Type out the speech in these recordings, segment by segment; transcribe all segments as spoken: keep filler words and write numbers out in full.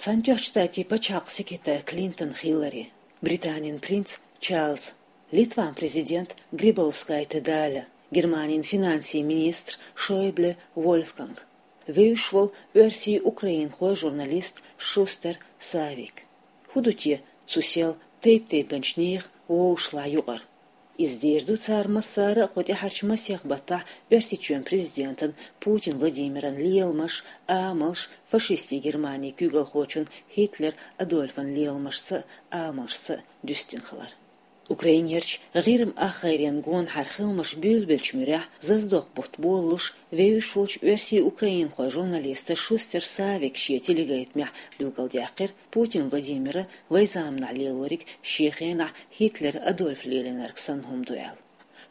Цхьаьнатоьхначу Штатийн пачхьалкхан секретарь Клинтон Хиллари, Британин принц Чарльз, Литван президент Грибаускайте Даля, Германин финансийн министр Шойбле Вольфганг, вевзаш волу оьрсийн украинхой журналист Шустер Савик. ХӀун ду те цу сел тайп-тайпанчу нехан вовшашлахь юкъара? Иза дийр ду цара массара а кху тӀаьхьарчу масех баттахь Оьрсийчоьнан президентан Путин Владимиран леламаш, амалш, фашистийн Германин куьйгалхочун Гитлер Адольфан леламашца а, амалшца а дуьстина хилар. Украинерчу ГӀирма ахгӀайренан гонахьара хиламаш буьйлабеллачу муьрехь, Заздокъ бутт болалуш, вевзаш волчу оьрсийн-украинхойн журналиста Шустер Савика шен телегайтамехь билгалдаьккхира Путин Владимира вайн заманахь лелориг, шен хенахь Гитлер Адольф лелийнарг санна хӀума ду аьлла.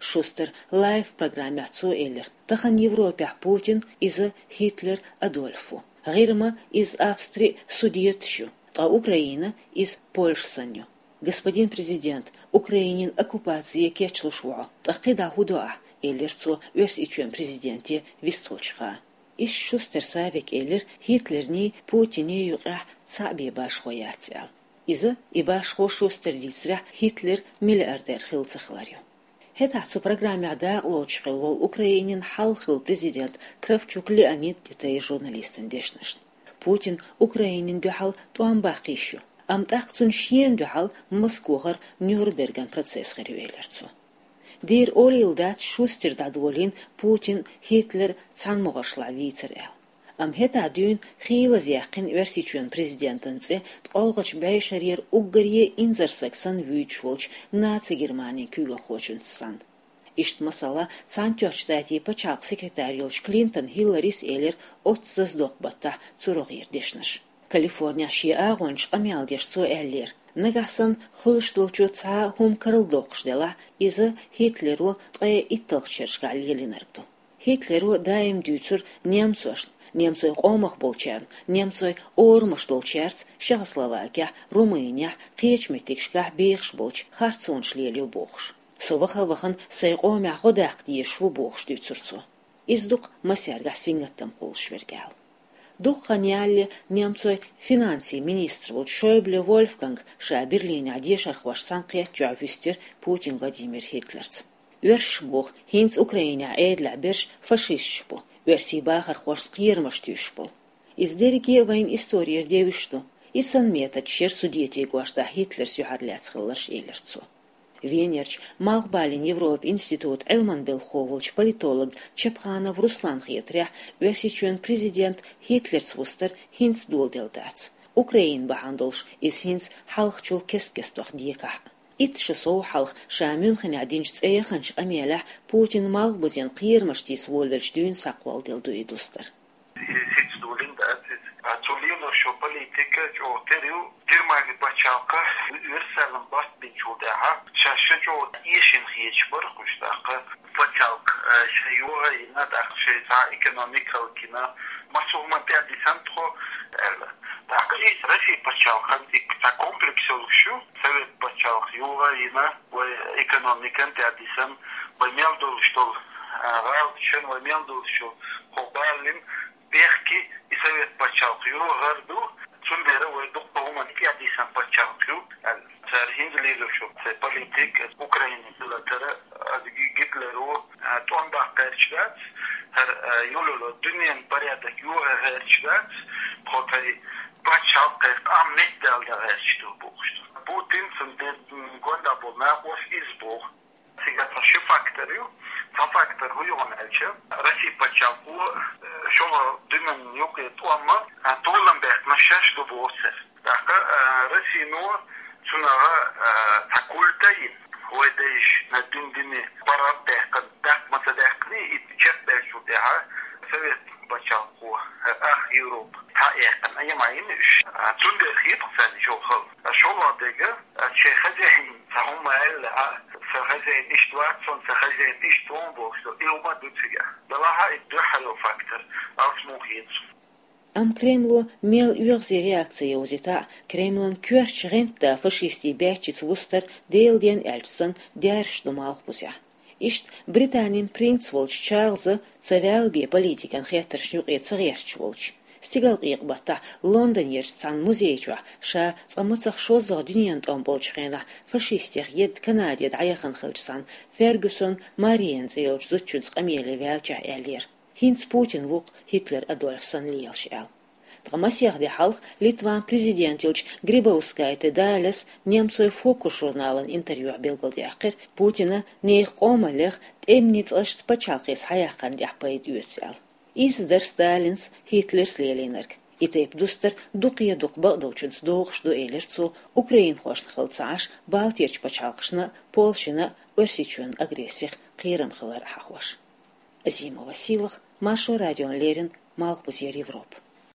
Шустер Лайф программехь цо элира: «Тахана Европехь Путин, иза Гитлер Адольф ву. ГӀирма, иза Австри Судеташ ю, ткъа Украина, иза Польша санна ю. Господин президент, Украинин оккупаци кечлуш ву хьо, ткъа кхидӀа хӀун до ахь?» — элира цо Оьрсийчоьнан президенте вистхуьлучу хана. Иштта Шустер Савика элира, Гитлерний, Путиний юкъехь цхьаъ бен башхо яц аьлла. Иза, и башхо Шустера дийцарехь, Гитлер миллиардер хилла ца хилар ю. ХӀетахь цу программехь дакъалоцуш хилла волу Украинин хьалха хилла президент Кравчук Леонид тӀетайра журналистан дешнашна. Путин Украинина дуьхьал тӀом баккха йиш ю, амма тӀаккха цунна шена дуьхьал Москвахара Нюрнберган процесс хир ю, элира цо. Дера олийла дац Шустера дӀадолийна Путин, Гитлер цхьана могӀаршлахь вийцар аьлла. Амма хӀетахь дуьйна хийлаза яьккхина Оьрсийчоьнан президентан цӀе ткъолгӀачу бӀешарера уггаре инзарсаг санна вуьйцуш волчу наци-Германин куьйгалхочуьнца санна. Иштта, масала, Цхьаьнатоьхначу Штатийн пачхьалкхан секретарь йолчу Клинтон Хилларис элира оццу Заздокъ баттахь цу рогӀера дешнаш. Калифорнехь шен агӀончу къамел деш цо аьллера: «Нагахь санна хуьлуш долчо цхьа а хӀума карладоккхуш делахь, иза Гитлеро ткъе итталгӀачу шерашкахь лелийнарг ду. Гитлеро даим дуьйцура немцошна, немцойн къомах болчарна, немцойн орамаш долчаьрца Чехословакехь, Румынехь, кхечу меттигашкахь бехаш болчу харцонаш лелайо бохуш. Со ваха-вахана сайн къомехь гӀо даккха дезаш ву бохуш дуьйцура цо. Иза ду-кх массаьргахь сингаттам кхуллуш верг», — аьлла. Дукха хан ялале немцойн финансийн министр волчу Шойбле Вольфганга ша Берлинехь дешархошца цхьаьнакхетта чохь вуьстира Путин Владимир Гитлерца. Оьрсаша боху, хӀинца Украинехь Ӏедалехь берш фашисташ бу, оьрсийн бахархошна кхерамаш туьйсуш болу. Иза дерриге а вайна исторера девзаш ду. И санна методаш яра Судетийн кӀоштахь Гитлерс юьхьарлаьцна хилларш, элира цо. Венерчу Малхбален Европан институтан Ӏилман белхахо волчу политолог Чапханов Русланна хетарехь, Оьрсийчоьнан президент Гитлерца вустар хӀинца доладелла дац. Украина бахьана долуш иза хӀинца хьалхачул кест-кестош декахь а. Итт шо сов хьалха ша Мюнхенехь динчу цӀе яханчу къамелехь Путин малхбузен кхерамаш тийса волавеллачу дуьйна схьакхолладелла ду и дустар. Иза хӀинца доладелла дац иза. А цо лелош йолу политика чӀогӀа тера ю. Германин пачхьалкхо универсальный бахьана бинчул тӀаьхьа ша шайн чӀогӀа эшина хеташ бара уьш, тӀаккха пачхьалкх, э, шайн йогӀу а йина, тӀаккха шайн цхьа экономика хӀаллакйина, массо а хӀуманна тӀаьхьа дисна тхо аьлла. ТӀаккха иза Россин пачхьалкхан и цхьа комплекс йолуш ю, Совет пачхьалкх йогӀу а йина, вай экономикан тӀаьхьа дисна, вай мел долуш долу, а, гӀалаташ, вай мел долуш йолу хӀокху баланийн бехке и Совет пачхьалкх йогӀур ду, цундела вай дуккха хӀуманна тӀаьхьа дисна пачхьалкх ю аьлла. Цара хӀинца лелош йолу церан политика Украинина латара, аса Гитлеро, а, тӀом баккха гӀерташ дац, хӀара, а, йолу дуьненан порядок йогӀа гӀерташ дац, тхо тхайн пачхьалкх тхайн къам меттадала дан гӀерташ ду бохуш ду. Путин, цуьнан де-, гонаха болу накъост иза боху. Цигахь цхьа ши фактор ю. Цхьа фактор хӀун ю аьлча, Россин пачхьалкхо, э, шолгӀа дуьненан юкъе тӀом а, толам баьккхинарш шаьш ду боху цара. ТӀаккха, э, Россино цунах, э, цхьа культ а йина, вай дайша дина-дина паргӀат даьккхина, даккха ма ца даьккхина, и чекхбаьллачул тӀаьхьа Совет пачхьалкхо, э, ах Европа, цхьа а яьккхина, а ма йина уьш. А, цундела хета-кх царна шолгӀа хала. А шолгӀа дерг, а, шайн хозяин цхьа хӀума аьлла, а, сан хозяин иштта вац, сан хозяин иштта ву бохуш, и хӀума ду цигахь. Делахь а и дуьххьара йолу фактор, алсам хета суна. Амма Кремло мел оьгӀазе реакци йовзийта а, Кремлан коьртачу гӀентан да фашистийн баьччица вустар Делан денна аьлча санна даьржаш ду малхбузехь. Иштта Британин принц волчу Чарльза ца ваьлла бен политикан хеттаршна юкъе ца гӀерташ волчу, Стигалкъекъа-баттахь Лондонерчу цхьана музей чохь ша цкъа мацах шозлагӀа дуьненан тӀом болчу хенахь фашистех едда Канаде дӀаяхана хиллачу цхьана Фергюсон Мариян цӀе йолчу зудчуьнца къамеле ваьллачохь аьллера: «ХӀинца Путин ву-кх Гитлер Адольф санна лелаш», — аьлла. Ткъа масех де хьалха Литван президент йолчу Грибаускайте Даляс Немцой Фокус журналан интервьюхь билгалдаьккхира, Путина нехан къомаллех тӀеман ницкъашца пачхьалкхе схьаяккхарна тӀехь пайда оьцу аьлла. Иза дара Сталинс, Гитлерс лелийнарг. И тайпа дустар дукха-дукха бакъдолчуьнца догӀуш ду, элира цо, украинхошна хилла ца Ӏаш, Балтерчу пачхьалкхашна, Польшина а, Оьрсийчоьнан агрессих кхерам хилар а хьахош. Азимова Сийлаха, Маршо радиона леррина, Малхбузера Европа.